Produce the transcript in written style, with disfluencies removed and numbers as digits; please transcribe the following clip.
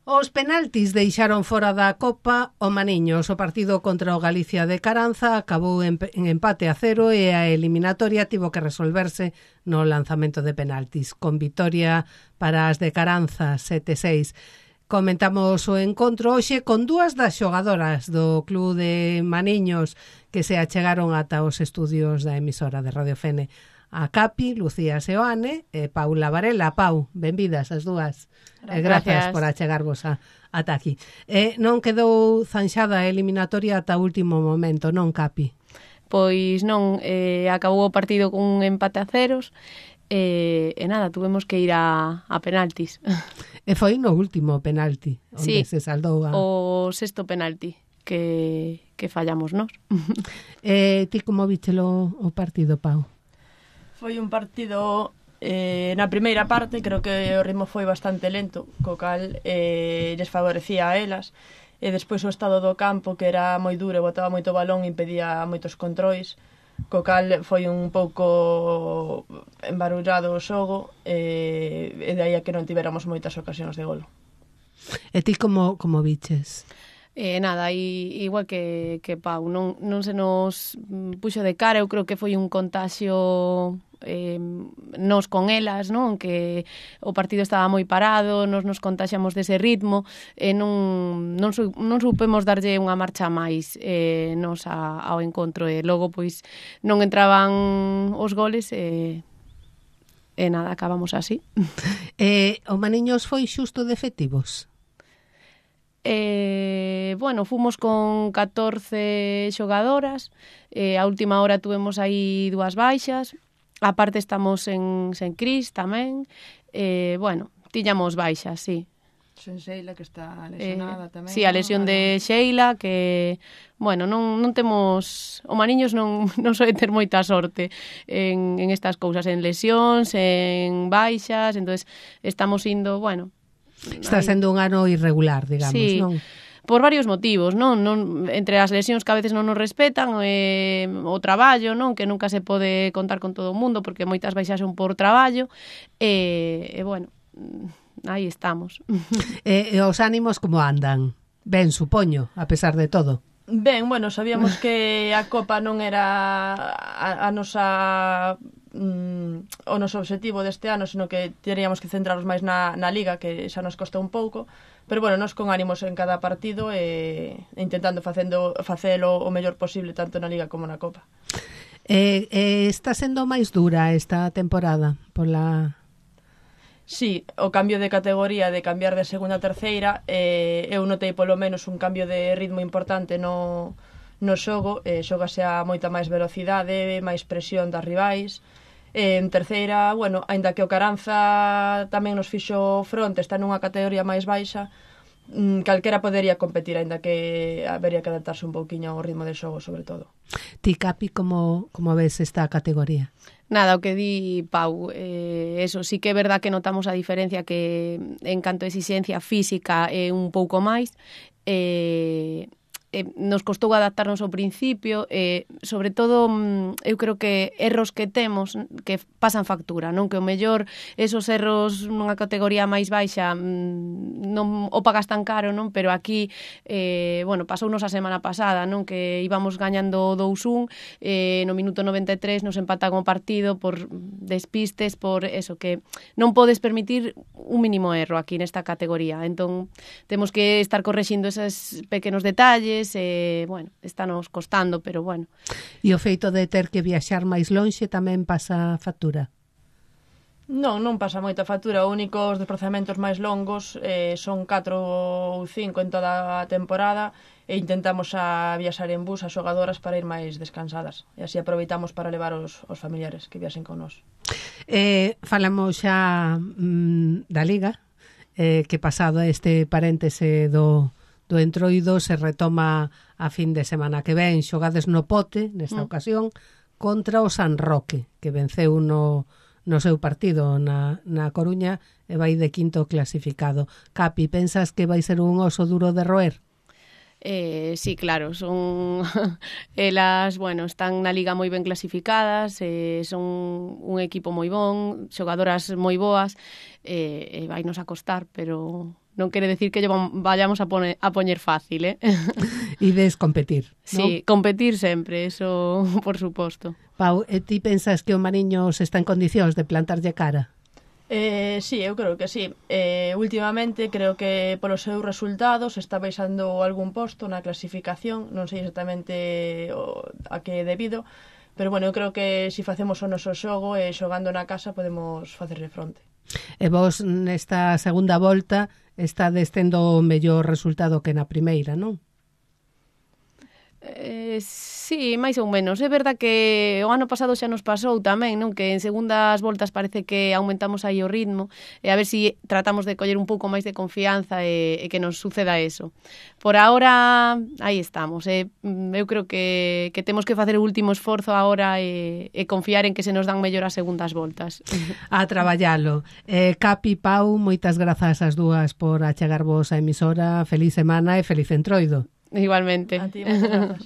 Os penaltis deixaron fora da Copa o Maniños. O partido contra o Galicia de Caranza acabou en empate a 0 e a eliminatoria tivo que resolverse no lanzamento de penaltis, con vitoria para as de Caranza 7-6. Comentamos o encontro hoxe con dúas das xogadoras do Club de Maniños que se achegaron ata os estudios da emisora de Radio Fene. A Capi, Lucía Seoane e Paula Varela. Pau, benvidas as dúas. Gracias por achegarvos ata aquí. Non quedou zanxada a eliminatoria ata o último momento, non, Capi? Pois non, acabou o partido con un empate a ceros e nada, tuvemos que ir a penaltis. E foi no último penalti, onde se saldou o sexto penalti que fallamos nós. Ti como vichelo o partido, Pau? Foi un partido na primeira parte, creo que o ritmo foi bastante lento, co cal lles favorecía a elas, e despois o estado do campo, que era moi duro, botaba moito balón e impedía moitos controis, co cal foi un pouco embarullado o xogo, e de aí a que non tiveramos moitas ocasións de gol. E ti como viches? Nada, igual que Pau, non se nos puxo de cara. Eu creo que foi un contaxio nos con elas, non? Que o partido estaba moi parado, nos contaxamos dese ritmo e non supemos darlle unha marcha máis nos ao encontro, e logo pois non entraban os goles e nada, acabamos así. O Maniños foi xusto de efectivos? Bueno, fomos con 14 xogadoras, a última hora tuvemos aí dúas baixas, aparte estamos sen Cris tamén, bueno, tiñamos baixas, sí. Sen Sheila, que está lesionada tamén. Sí, a lesión de Sheila, que, bueno, non temos... O Maniños non soe ter moita sorte en estas cousas, en lesións, en baixas, entonces estamos indo, bueno... Está sendo un ano irregular, digamos, sí, non? Por varios motivos, non? Entre as lesións que a veces non nos respetan, o traballo, non? Que nunca se pode contar con todo o mundo, porque moitas baixas son por traballo, e bueno, aí estamos. E os ánimos como andan? Ben, supoño, a pesar de todo. Ben, bueno, sabíamos que a Copa non era a nosa... o noso objetivo deste ano, sino que teríamos que centrarnos máis na Liga, que xa nos costa un pouco, pero bueno, nos con ánimos en cada partido e intentando facelo o mellor posible tanto na Liga como na Copa. Está sendo máis dura esta temporada pola... Sí, o cambio de categoría, de cambiar de segunda a terceira, eu notei polo menos un cambio de ritmo importante no xogo, xógase a moita máis velocidade, máis presión das rivais. En terceira, bueno, aínda que o Caranza tamén nos fixo fronte, está nunha categoría máis baixa, calquera podería competir, aínda que habería que adaptarse un pouquiño ao ritmo de xogo, sobre todo. Ti, Capi, como ves esta categoría? Nada, o que di Pau, eso sí que é verdad que notamos a diferencia, que en canto a exigencia física é un pouco máis, nos costou adaptarnos ao principio, sobre todo eu creo que erros que temos que pasan factura, non? Que o mellor esos erros nunha categoría máis baixa non o pagas tan caro, non? Pero aquí, bueno, pasounos a semana pasada, non? Que íbamos gañando 2-1, no minuto 93 nos empatan o partido por despistes, por eso, que non podes permitir un mínimo erro aquí nesta categoría. Entón, temos que estar correxindo esos pequenos detalles, bueno, estános costando, pero bueno. E o feito de ter que viaxar máis lonxe tamén pasa factura? Non pasa moita factura. O único, os desplazamentos máis longos son 4 ou 5 en toda a temporada, e intentamos a viaxar en bus as xogadoras para ir máis descansadas, e así aproveitamos para levar os familiares que viaxen con nós. Falamos xa da Liga, que pasado este paréntese do Entroido se retoma a fin de semana que ven. Xogades no Pote nesta ocasión contra o San Roque, que venceu no seu partido na Coruña e vai de quinto clasificado. Capi, pensas que vai ser un oso duro de roer? Sí, claro, son elas, bueno, están na Liga moi ben clasificadas, son un equipo moi bon, xogadoras moi boas, vai nos a costar, pero Non quere decir que lle vayamos a poñer fácil, Ides competir, non? Sí, competir sempre, eso por suposto. Pau, e ti pensas que o Mariños está en condicións de plantarlle cara? Sí, eu creo que sí. Últimamente creo que polos seus resultados está baixando algún posto na clasificación, non sei exactamente a que debido, pero bueno, eu creo que se facemos o noso xogo e xogando na casa podemos facerle fronte. E vos nesta segunda volta estades tendo o mellor resultado que na primeira, non? Sí, máis ou menos. É verdad que o ano pasado xa nos pasou tamén, non? Que en segundas voltas parece que aumentamos aí o ritmo e a ver se tratamos de coller un pouco máis de confianza e que nos suceda eso. Por ahora, aí estamos. Eu creo que temos que facer o último esforzo agora e confiar en que se nos dan mellor as segundas voltas. A traballalo. Capi, Pau, moitas grazas as dúas por achegarvos á emisora. Feliz semana e feliz entroido. Igualmente. A ti, moitas grazas.